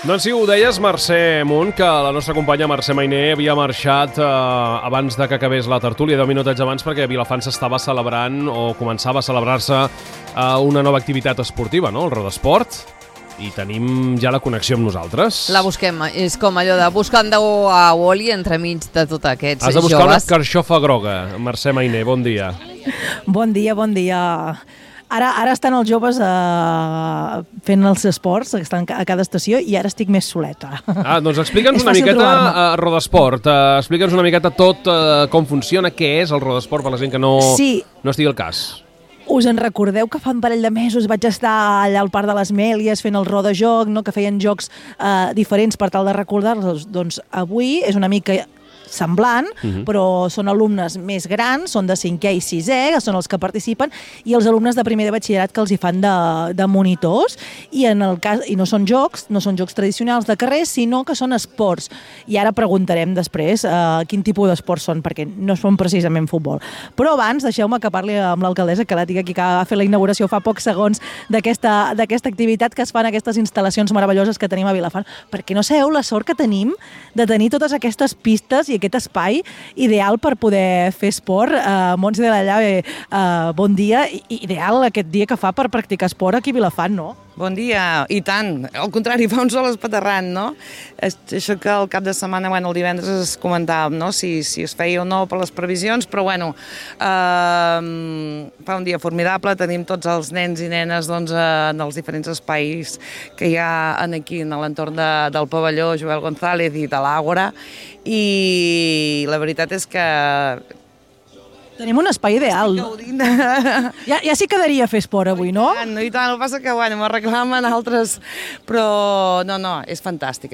Doncs sí, ho deies, Mercè Munt, que la nostra companya Mercè Mainer havia marxat abans de que acabés la tertúlia, 10 minutets abans, perquè a Vilafant s'estava celebrant o començava a celebrar-se una nova activitat esportiva, no? El Rodesport. I tenim ja la connexió amb nosaltres. La busquem, és com allò de buscar a Wall-E entremig de tots aquests joves. Has de buscar una carxofa groga, Mercè Mainer, bon dia. Bon dia, bon dia. Ara estan els joves fent els esports, estan a cada estació, i ara estic més soleta. Doncs explica'ns una miqueta Rodesport. Explica'ns una miqueta tot com funciona, què és el Rodesport per la gent que no estigui al cas. Us en recordeu que fa un parell de mesos vaig estar allà al Parc de les Mèlies fent el rodajoc, que feien jocs diferents per tal de recordar-los? Doncs avui és una mica semblant, però són alumnes més grans, són de 5è i 6è, que són els que participen, i els alumnes de primer de batxillerat que els hi fan de monitors, i no són jocs tradicionals de carrer, sinó que són esports. I ara preguntarem després quin tipus d'esports són, perquè no són precisament futbol. Però abans, deixeu-me que parli amb l'alcaldessa, que la tinc aquí, que va fer la inauguració fa pocs segons d'aquesta activitat que es fan aquestes instal·lacions meravelloses que tenim a Vilafant, perquè no sabeu la sort que tenim de tenir totes aquestes pistes i aquest espai ideal per poder fer esport. Montse de la Llave, bon dia. Ideal aquest dia que fa per practicar esport aquí a Vilafant, no? Bon dia, i tant. Al contrari, fa un sol espaterrant, no? Això que el cap de setmana, el divendres es comentàvem, no? Si es feia o no per les previsions, però fa un dia formidable, tenim tots els nens i nenes en els diferents espais que hi ha aquí en l'entorn del pavelló Joel González i de l'Àgora, i la veritat és que tenim un espai ideal. Ja s'hi quedaria a fer esport avui, no? I tant, el que passa que m'ho reclamen altres, però no, és fantàstic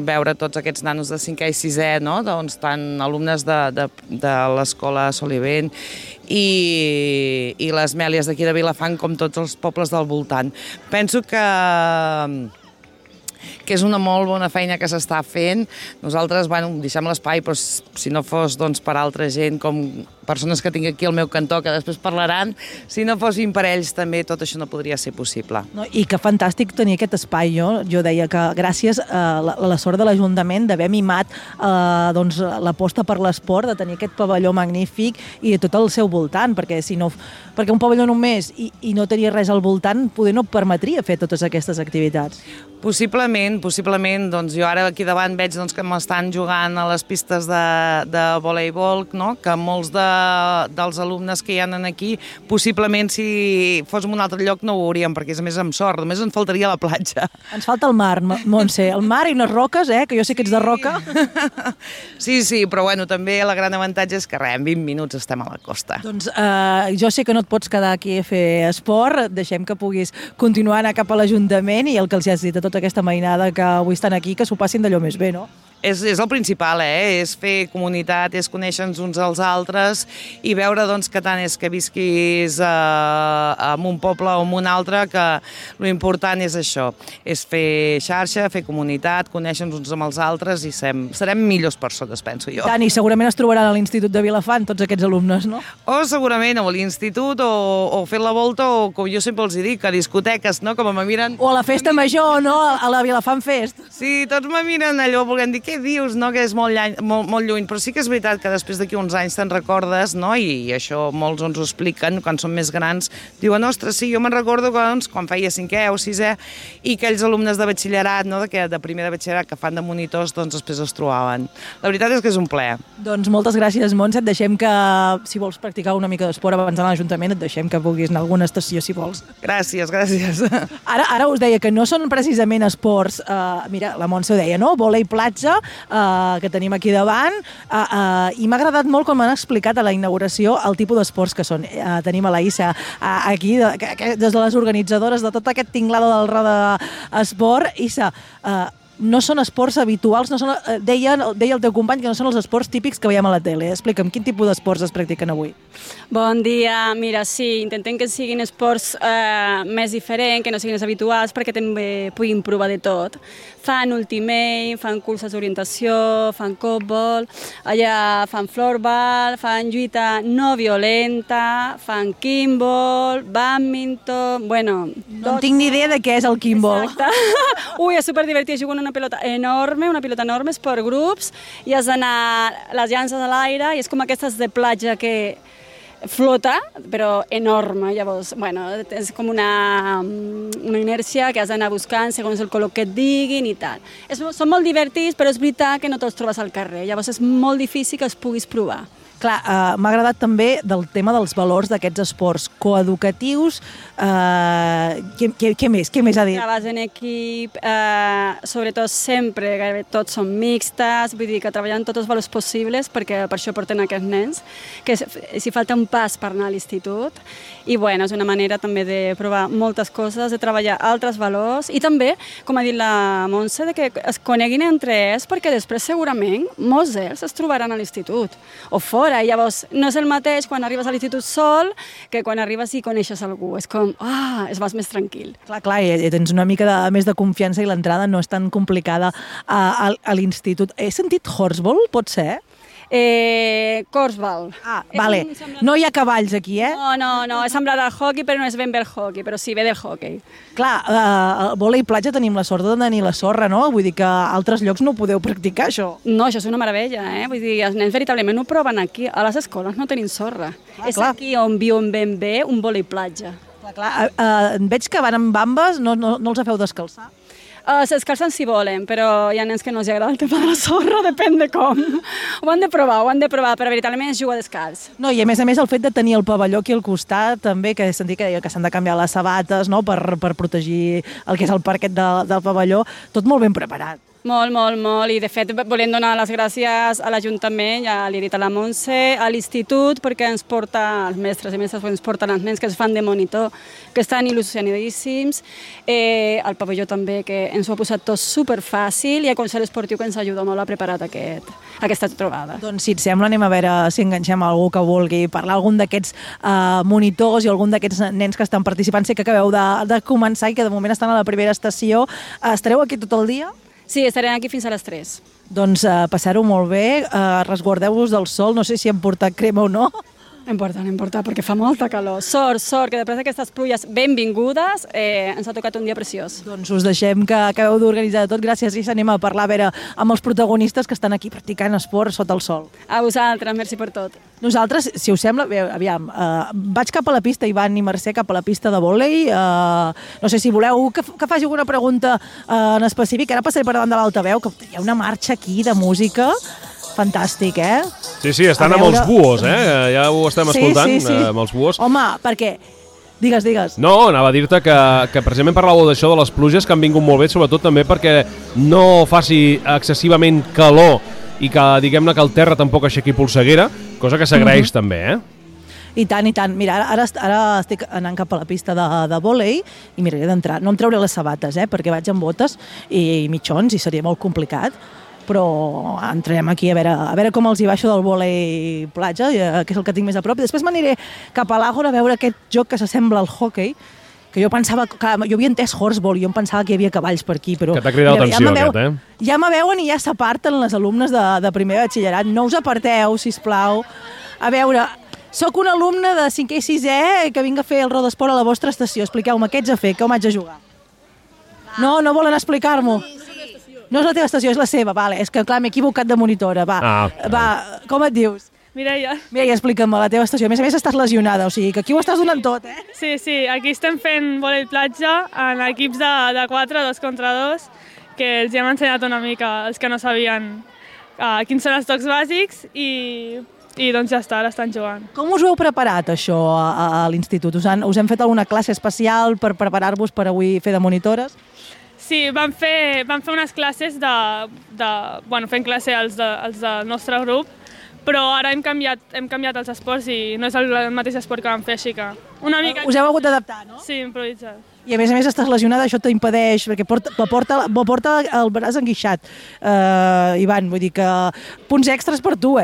veure tots aquests nanos de 5è i 6è, no? Doncs tant alumnes de l'escola Solivent i les Mèlies d'aquí de Vilafant com tots els pobles del voltant. Penso que és una molt bona feina que s'està fent. Nosaltres, deixem l'espai, però si no fos per altra gent, com persones que tinc aquí al meu cantó, que després parlaran, si no fossin per ells també tot això no podria ser possible. I que fantàstic tenir aquest espai. Jo deia que gràcies a la sort de l'Ajuntament d'haver mimat l'aposta per l'esport, de tenir aquest pavelló magnífic i de tot el seu voltant, perquè un pavelló només i no tenia res al voltant, poder no permetria fer totes aquestes activitats. Possiblement, jo ara aquí davant veig que m'estan jugant a les pistes de voleibol, que molts dels alumnes que hi ha aquí, possiblement si fos en un altre lloc no ho veuríem, perquè és a més amb sort, només ens faltaria la platja. Ens falta el mar, Montse, el mar i unes roques, que jo sé que ets de roca. Sí, però també el gran avantatge és que en 20 minuts estem a la costa. Doncs jo sé que no et pots quedar aquí a fer esport, deixem que puguis continuar a anar cap a l'Ajuntament i el que els has dit a tota aquesta mainada que avui estan aquí, que s'ho passin d'allò més bé, no? És el principal, és fer comunitat, és conèixer-nos uns als altres i veure que tant és que visquis en un poble o en un altre, que l'important és això, és fer xarxa, fer comunitat, conèixer-nos uns amb els altres i serem millors persones, penso jo. Tant, i segurament es trobaran a l'Institut de Vilafant tots aquests alumnes, no? O segurament a l'Institut o fent la volta o, com jo sempre els dic, a discoteques, no? Com me miren... O a la festa major, no? A la Vilafant Fest. Sí, tots me miren allò volent dir, què dius, no? Que és molt lluny, però sí que és veritat que després d'aquí uns anys te'n recordes, no? I això molts ens ho expliquen quan són més grans, diuen, ostres, sí, jo me'n recordo quan feia 5è o 6è i aquells alumnes de batxillerat, no? De primer de batxillerat que fan de monitors, després es trobaven. La veritat és que és un plaer. Doncs moltes gràcies, Montse, et deixem que, si vols practicar una mica d'esport abans d'anar a l'Ajuntament, et deixem que puguis anar a alguna estació, si vols. Gràcies. Ara us deia que no són precisament esports, mira, la Montse ho deia, no? Vòlei platja, que tenim aquí davant, i m'ha agradat molt com m'han explicat a la inauguració el tipus d'esports que són. Tenim a la Issa aquí, des de les organitzadores de tot aquest tinglado del Roda Esport. Issa, no són esports habituals, deia el teu company que no són els esports típics que veiem a la tele. Explica'm, quin tipus d'esports es practiquen avui? Bon dia, mira, sí, intentem que siguin esports més diferents, que no siguin els habituals, perquè també puguin provar de tot. Fan ultimate, fan curses d'orientació, fan còtbol, allà fan florball, fan lluita no violenta, fan kimball, badminton, bueno... No tinc ni idea de què és el kimball. Exacte. Ui, és superdivertit, jugo una una pilota enorme, és per grups, i has d'anar les llances a l'aire, i és com aquestes de platja que flota, però enorme. Llavors, bueno, és com una inèrcia que has d'anar buscant segons el color que et diguin i tal. Són molt divertits, però és veritat que no te'ls trobes al carrer. Llavors és molt difícil que els puguis provar. Clar, m'ha agradat també del tema dels valors d'aquests esports coeducatius. Què més ha dit? Treballes en equip, sobretot sempre, gairebé tots són mixtes, vull dir que treballen tots els valors possibles, perquè per això porten aquests nens, que si falta un pas per anar a l'institut, i bueno, és una manera també de provar moltes coses, de treballar altres valors, i també, com ha dit la Montse, de que es coneguin entre ells, perquè després segurament molts d'ells es trobaran a l'institut, o fora. Llavors, no és el mateix quan arribes a l'institut sol que quan arribes i coneixes algú. És com, es vas més tranquil. Clar, i tens una mica més de confiança i l'entrada no és tan complicada a l'institut. He sentit horseball, pot ser? Korfball. Vale. No hi ha cavalls aquí, No, és semblant al hockey, però no és ben bé el hockey, però sí, ve del hockey. Clar, al vòlei platja tenim la sort de tenir la sorra, no? Vull dir que a altres llocs no ho podeu practicar, això. No, això és una meravella, Vull dir, els nens veritablement ho proven aquí. A les escoles no tenim sorra. És aquí on viuen ben bé un vòlei platja. Clar, veig que van amb bambes, no els feu descalçar? S'escalcen si volen, però hi ha nens que no els agrada el tema de la sorra, depèn de com. Ho han de provar, però veritablement es juga descalç. No, i a més el fet de tenir el pavelló aquí al costat, també, que he sentit que deia que s'han de canviar les sabates, no?, per protegir el que és el parquet del pavelló, tot molt ben preparat. Molt, i de fet volem donar les gràcies a l'Ajuntament, ja li he dit a la Montse, a l'Institut, perquè ens porta, els mestres i mestres ens porten els nens que es fan de monitor, que estan il·lusionadíssims, al pavelló també, que ens ho ha posat tot superfàcil, i a Consell Esportiu, que ens ajuda molt a preparar aquesta trobada. Doncs si et sembla, anem a veure si enganxem algú que vulgui parlar, algun d'aquests monitors i algun d'aquests nens que estan participant. Sé que acabeu de començar i que de moment estan a la primera estació. Estareu aquí tot el dia? Sí, estarem aquí fins a les 3. Doncs passar-ho molt bé, resguardeu-vos del sol, no sé si hem portat crema o no. Importa, perquè fa molta calor. Sort, que després d'aquestes pluies benvingudes ens ha tocat un dia preciós. Doncs us deixem que acabeu d'organitzar tot. Gràcies, i anem a parlar a veure amb els protagonistes que estan aquí practicant esport sota el sol. A vosaltres, merci per tot. Nosaltres, si us sembla, aviam, vaig cap a la pista, Ivan i Mercè, cap a la pista de vòlei. No sé si voleu que faci alguna pregunta en específic. Ara passaré per davant de l'altaveu, que hi ha una marxa aquí de música. Fantàstic, Sí, estan amb els buos, ja ho estem escoltant, amb els buos. Home, perquè... Digues. No, anava a dir-te que precisament parlàveu d'això, de les pluges, que han vingut molt bé, sobretot també perquè no faci excessivament calor i que, diguem-ne, que el terra tampoc aixequi polseguera, cosa que s'agraeix també, I tant. Mira, ara estic anant cap a la pista de vòlei i miraré d'entrar. No em trauré les sabates, perquè vaig amb botes i mitjons i seria molt complicat, però entrarem aquí a veure com els hi baixo del vòlei platja, que és el que tinc més a prop. I després m'aniré cap a l'Àgora a veure aquest joc que s'assembla al hockey, que jo pensava, jo havia entès horseball i jo em pensava que hi havia cavalls per aquí, però... Que t'ha cridat l'atenció aquest, Ja m'aveuen i ja s'aparten les alumnes de primer batxillerat. No us aparteu, sisplau. A veure, sóc un alumne de 5è i 6è que vinc a fer el rodesport a la vostra estació. Expliqueu-me, què ets a fer? Com haig de jugar? No volen explicar-m'ho. No és la teva estació, és la seva, vale. És que, clar, m'he equivocat de monitora, va, com et dius? Mireia, explica'm la teva estació. A més estàs lesionada, o sigui que aquí ho estàs donant tot, Sí, aquí estem fent vòlei platja en equips de 4, 2 contra 2, que els hem ensenyat una mica, els que no sabien quins són els tocs bàsics i doncs ja està, ara estan jugant. Com us ho heu preparat, això, a l'institut? Us hem fet alguna classe especial per preparar-vos per avui fer de monitores? Sí, vam fer unes classes fent classe als del nostre grup, però ara hem canviat els esports i no és el mateix esport que vam fer, així que una mica... Us heu hagut d'adaptar, no? Sí, improvisat. I a més estàs lesionada, això t'impedeix, perquè porta el braç enguixat. Ivan, vull dir que punts extras per tu,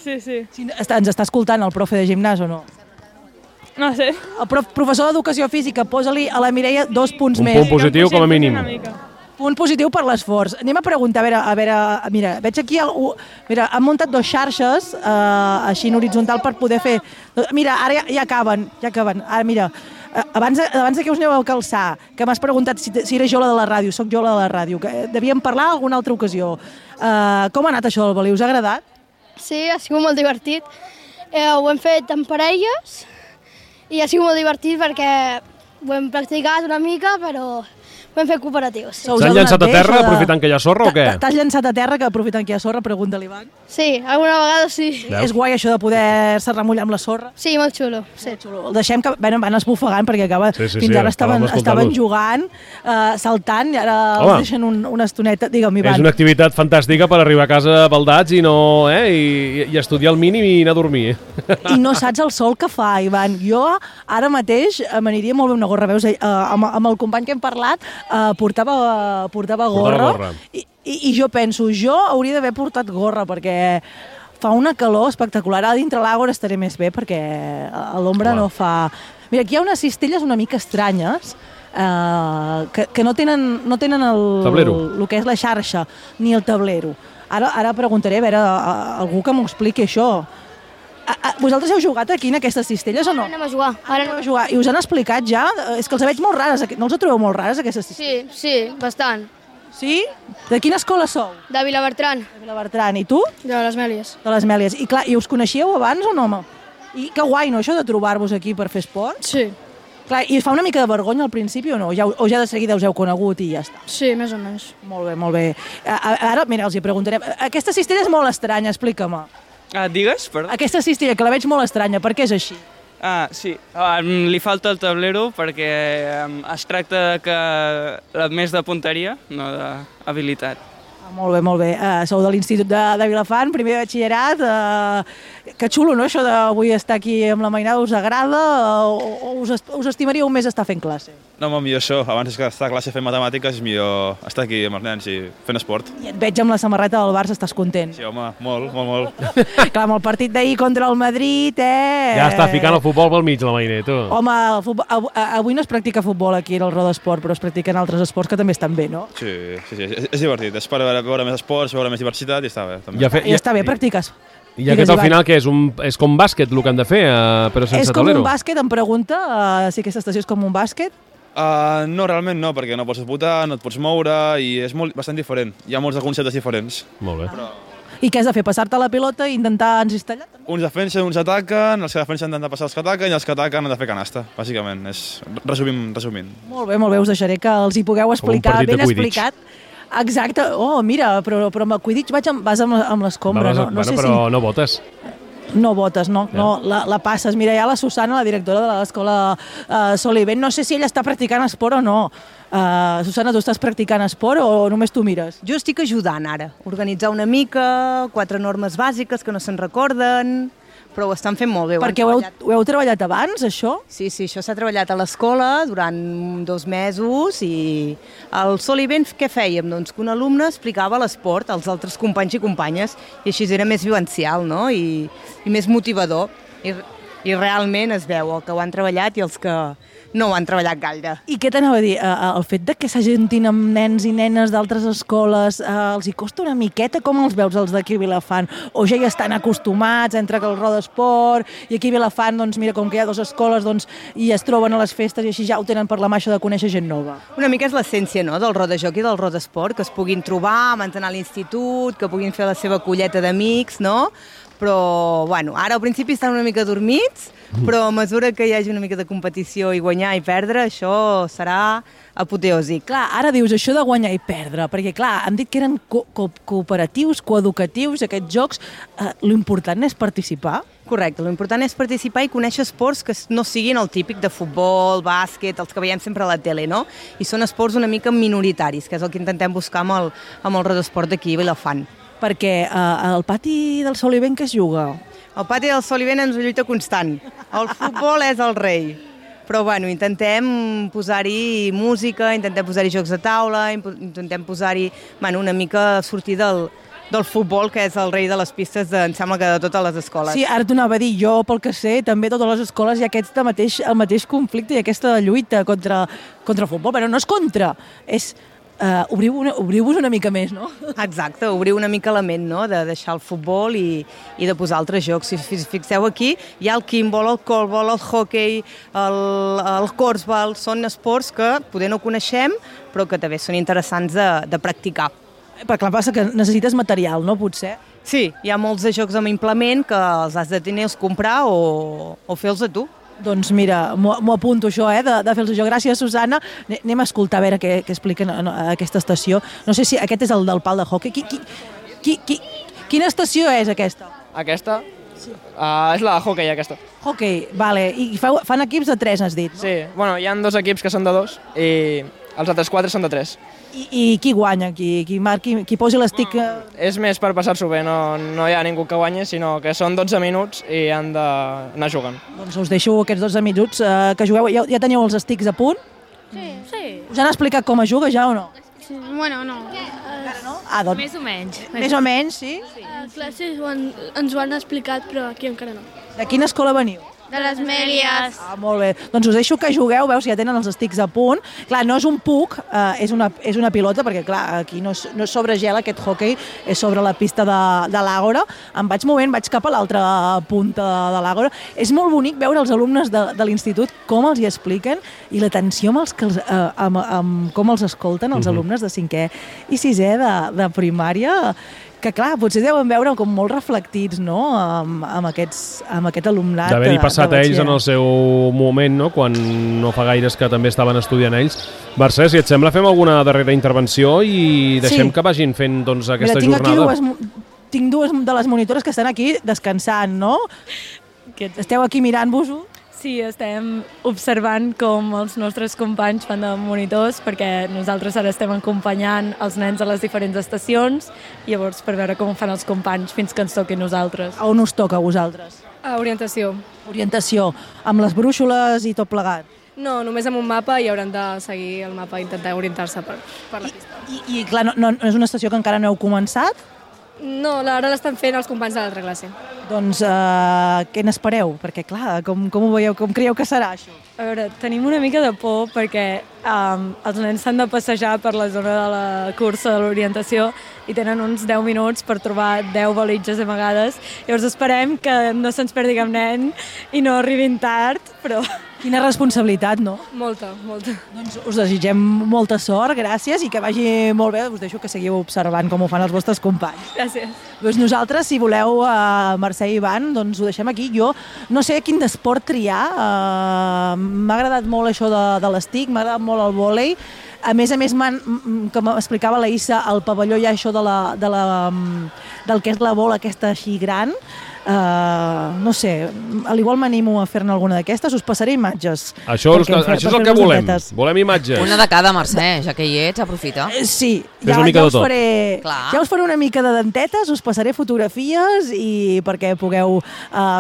Sí. Ens està escoltant el profe de gimnàs o no? No sé. El professor d'Educació Física, posa-li a la Mireia 2 punts més. Un punt positiu com a mínim. Punt positiu per l'esforç. Anem a preguntar, a veure, mira, veig aquí, mira, han muntat 2 xarxes, així en horitzontal per poder fer... Mira, ara ja acaben. Ara, mira, Abans que us aneu a calçar, que m'has preguntat si era jo la de la ràdio, soc jo la de la ràdio, que devíem parlar alguna altra ocasió. Com ha anat això del voler? Us ha agradat? Sí, ha sigut molt divertit. Ho hem fet en parelles i ha sigut molt divertit perquè ho hem practicat una mica, però ho hem fet cooperatius. Sí. S'han llançat a terra aprofitant que hi ha sorra o què? T'has llançat a terra que aprofitant que hi ha sorra? Pregunta l'Ivan. Sí, alguna vegada sí. És guai això de poder-se remullar amb la sorra? Sí, molt xulo. Sí. Molt xulo. El deixem que van esbufegant perquè fins ara estaven jugant, saltant i ara els deixen una estoneta. Digue'm, Ivan. És una activitat fantàstica per arribar a casa baldats i estudiar el mínim i anar a dormir. I no saps el sol que fa, Ivan. Jo ara mateix m'aniria molt bé una gorra. Veus, amb el company que hem parlat portava gorra. I jo penso, jo hauria d'haver portat gorra perquè fa una calor espectacular. A dintre l'àgora estaré més bé perquè a l'ombra no fa... Mira, aquí hi ha unes cistelles una mica estranyes que no tenen el que és la xarxa ni el tablero. Ara preguntaré a veure algú que m'ho expliqui això. Vosaltres heu jugat aquí en aquestes cistelles o no? Anem a jugar. Anem a jugar. I us han explicat ja? És que els veig molt rares. No els trobeu molt rares, aquestes cistelles? Sí, bastant. Sí? De quina escola sou? De Vilabertran. De Vilabertran. I tu? De les Mèlies. De les Mèlies. I clar, i us coneixíeu abans o no, home? I que guai, no, això de trobar-vos aquí per fer esport? Sí. Clar, i us fa una mica de vergonya al principi o no? O ja de seguida us heu conegut i ja està? Sí, més o menys. Molt bé, molt bé. Ara, mira, els hi preguntarem. Aquesta cistella és molt estranya, explica-me. Digues, perdó. Aquesta cistella, que la veig molt estranya, per què és així? Sí. Li falta el tablero perquè es tracta que més de punteria, no d'habilitat. Molt bé, molt bé. Sou de l'Institut de Vilafant, primer de batxillerat. Que xulo, no?, això d'avui estar aquí amb la mainada. Us agrada o us estimaríeu més estar fent classe? No, molt millor això. Abans que estar a classe fent matemàtiques és millor estar aquí amb els nens i fent esport. I et veig amb la samarreta del Barça, estàs content? Sí, home, molt. Clar, amb el partit d'ahir contra el Madrid, Ja està ficant el futbol pel mig, la Mainé, tu. Home, avui no es practica futbol aquí al Roda Esport, però es practiquen altres esports que també estan bé, no? Sí, és divertit. És per veure més esports, veure més diversitat i està bé. També. I està bé, practiques. I aquest al final què és? És com bàsquet el que han de fer, però sense tablero? És com un bàsquet, em pregunta si aquesta estació és com un bàsquet? No, realment no, perquè no pots votar, no et pots moure i és bastant diferent. Hi ha molts conceptes diferents. Molt bé. I què has de fer? Passar-te la pilota i intentar encistellar? Uns defensen, uns ataquen, els que defensen han de passar els que ataquen i els que ataquen han de fer canasta, bàsicament. Resumint. Molt bé, us deixaré que els hi pugueu explicar, ben explicat. Exacte. Oh, mira, però amb el Quidditch vas amb l'escombra. Però no votes. No votes, no. La passes. Mira, hi ha la Susana, la directora de l'escola Solivent. No sé si ella està practicant esport o no. Susana, tu estàs practicant esport o només tu mires? Jo estic ajudant ara. Organitzar una mica, 4 normes bàsiques que no se'n recorden, però ho estan fent molt bé. Perquè ho heu treballat abans, això? Sí, això s'ha treballat a l'escola durant 2 mesos i al Solivent què fèiem? Doncs que un alumne explicava l'esport als altres companys i companyes i així era més vivencial, no? I més motivador. I realment es veu el que ho han treballat i els que no ho han treballat gaire. I què t'anava a dir? El fet de que s'ajuntin amb nens i nenes d'altres escoles, els hi costa una miqueta? Com els veus, els d'aquí a Vilafant? O ja hi estan acostumats entre que el Roda Esport i aquí a Vilafant, doncs mira, com que hi ha 2 escoles, doncs i es troben a les festes i així ja ho tenen per la maixa de conèixer gent nova? Una mica és l'essència, no?, del Roda Joc i del Roda Esport, que es puguin trobar, mantenir a l'institut, que puguin fer la seva colleta d'amics, no? Però, bueno, ara al principi estan una mica dormits, però a mesura que hi hagi una mica de competició i guanyar i perdre, això serà apoteòsic. Clar, ara dius això de guanyar i perdre, perquè clar, han dit que eren cooperatius, coeducatius, aquests jocs. L'important és participar? Correcte, l'important és participar i conèixer esports que no siguin el típic de futbol, bàsquet, els que veiem sempre a la tele, no? I són esports una mica minoritaris, que és el que intentem buscar amb el Roda Esport d'aquí a Vilafant. Perquè al pati del Solivent què es juga? El pati del Solivent és una lluita constant. El futbol és el rei. Però bueno, intentem posar-hi música, intentem posar-hi jocs de taula, intentem posar-hi una mica sortir del futbol, que és el rei de les pistes, em sembla que de totes les escoles. Sí, ara t'ho anava a dir, jo pel que sé, també a totes les escoles hi ha el mateix conflicte i aquesta lluita contra el futbol. Però no és contra, és obriu-vos una mica més, no? Exacte, obrir una mica la ment, no?, de deixar el futbol i de posar altres jocs. Si fixeu aquí, hi ha el kimball, el callball, el hockey, el corfball, són esports que poder no coneixem, però que també són interessants de practicar. Però clar, passa que necessites material, no, potser? Sí, hi ha molts de jocs amb implement que els has de tenir, comprar o fer-los a tu. Doncs mira, m'ho apunto això, de fer-los jo. Gràcies, Susana. Anem a escoltar a veure què expliquen a aquesta estació. No sé si aquest és el del pal de hockey. Quina estació és aquesta? Aquesta? Sí. És la de hockey, aquesta. Hockey, vale. I fan equips de 3, has dit, no? Sí, bueno, hi ha 2 equips que són de 2 i els altres 4 són de 3. I qui guanya? Qui posi l'estic? És més per passar-s'ho bé, no hi ha ningú que guanyi, sinó que són 12 minuts i han d'anar jugant. Doncs us deixo aquests 12 minuts que jugueu. Ja teniu els estics a punt? Sí. Us han explicat com es juga ja o no? Sí. Bueno, no. No? Doncs, més o menys. Més o menys, sí? A classes ens ho han explicat, però aquí encara no. De quina escola veniu? De les Mèlies. Molt bé. Doncs us deixo que jugueu, veus, ja tenen els estics a punt. Clar, no és un puck, és una pilota, perquè clar, aquí no és sobre gel aquest hockey, és sobre la pista de l'Àgora. Em vaig movent, vaig cap a l'altra punta de l'Àgora. És molt bonic veure els alumnes de l'institut com els hi expliquen i l'atenció amb com els escolten els alumnes de 5è i 6è de primària, que clar, potser deuen veure com molt reflectits, no?, amb aquest alumnat. D'haver-hi passat ells en el seu moment, no?, quan no fa gaires que també estaven estudiant ells. Mercè, si et sembla, fem alguna darrera intervenció i deixem que vagin fent doncs, aquesta jornada. Tinc dues de les monitores que estan aquí descansant, no? Esteu aquí mirant-vos-ho? Sí, estem observant com els nostres companys fan de monitors, perquè nosaltres ara estem acompanyant els nens a les diferents estacions, llavors per veure com fan els companys fins que ens toqui a nosaltres. A on us toca a vosaltres? A orientació. Orientació, amb les brúixoles i tot plegat? No, només amb un mapa i hauran de seguir el mapa i intentar orientar-se per la pista. I clar, no és una estació que encara no heu començat? No, ara l'estan fent els companys de l'altra classe. Doncs què n'espereu? Perquè clar, com ho veieu, com creieu que serà això? A veure, tenim una mica de por perquè els nens s'han de passejar per la zona de la cursa de l'orientació i tenen uns 10 minuts per trobar 10 balitges amagades. Llavors esperem que no se'ns perdi cap nen i no arribin tard, però... Quina responsabilitat, no? Molta. Doncs us desitgem molta sort, gràcies, i que vagi molt bé. Us deixo que seguiu observant com ho fan els vostres companys. Gràcies. Doncs nosaltres, si voleu, Mercè i Ivan, doncs ho deixem aquí. Jo no sé quin esport triar. M'ha agradat molt això de l'estic, m'ha agradat molt el vòlei. A més, com explicava la Issa, al pavelló hi ha això del que és la bola aquesta així gran. No sé, al igual m'animo a fer-ne alguna d'aquestes, us passaré imatges. Això és el que volem imatges. Una de cada, Mercè, ja que hi ets, aprofita. Sí, ja us faré una mica de dentetes, us passaré fotografies i perquè pugueu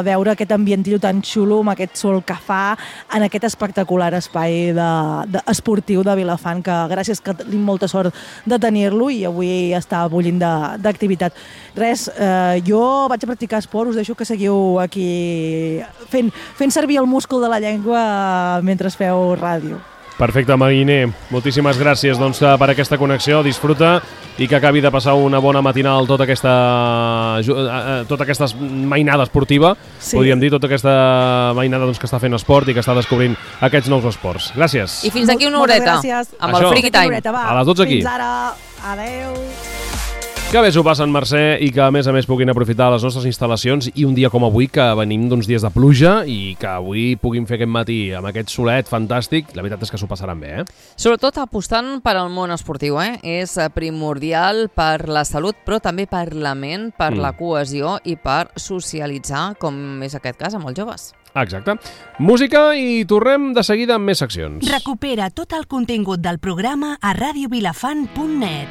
veure aquest ambientillo tan xulo amb aquest sol que fa en aquest espectacular espai esportiu de Vilafant, que gràcies que tenim molta sort de tenir-lo i avui està bullint d'activitat. Res, jo vaig a practicar esport, us deixo que seguiu aquí fent servir el múscul de la llengua mentre feu ràdio. Perfecte, Mariner. Moltíssimes gràcies per aquesta connexió. Disfruta i que acabi de passar una bona matinal tota aquesta mainada esportiva, podríem dir, tota aquesta mainada que està fent esport i que està descobrint aquests nous esports. Gràcies. I fins aquí una horeta, amb el Friki Time. A les 12 aquí. Fins ara. Adeu. Que bé s'ho passen, Mercè, i que a més puguin aprofitar les nostres instal·lacions i un dia com avui, que venim d'uns dies de pluja i que avui puguin fer aquest matí amb aquest solet fantàstic, la veritat és que s'ho passaran bé, Sobretot apostant per al món esportiu, És primordial per la salut, però també per la ment, per la cohesió i per socialitzar, com és aquest cas amb els joves. Exacte. Música i tornem de seguida amb més seccions. Recupera tot el contingut del programa a radiovilafant.net.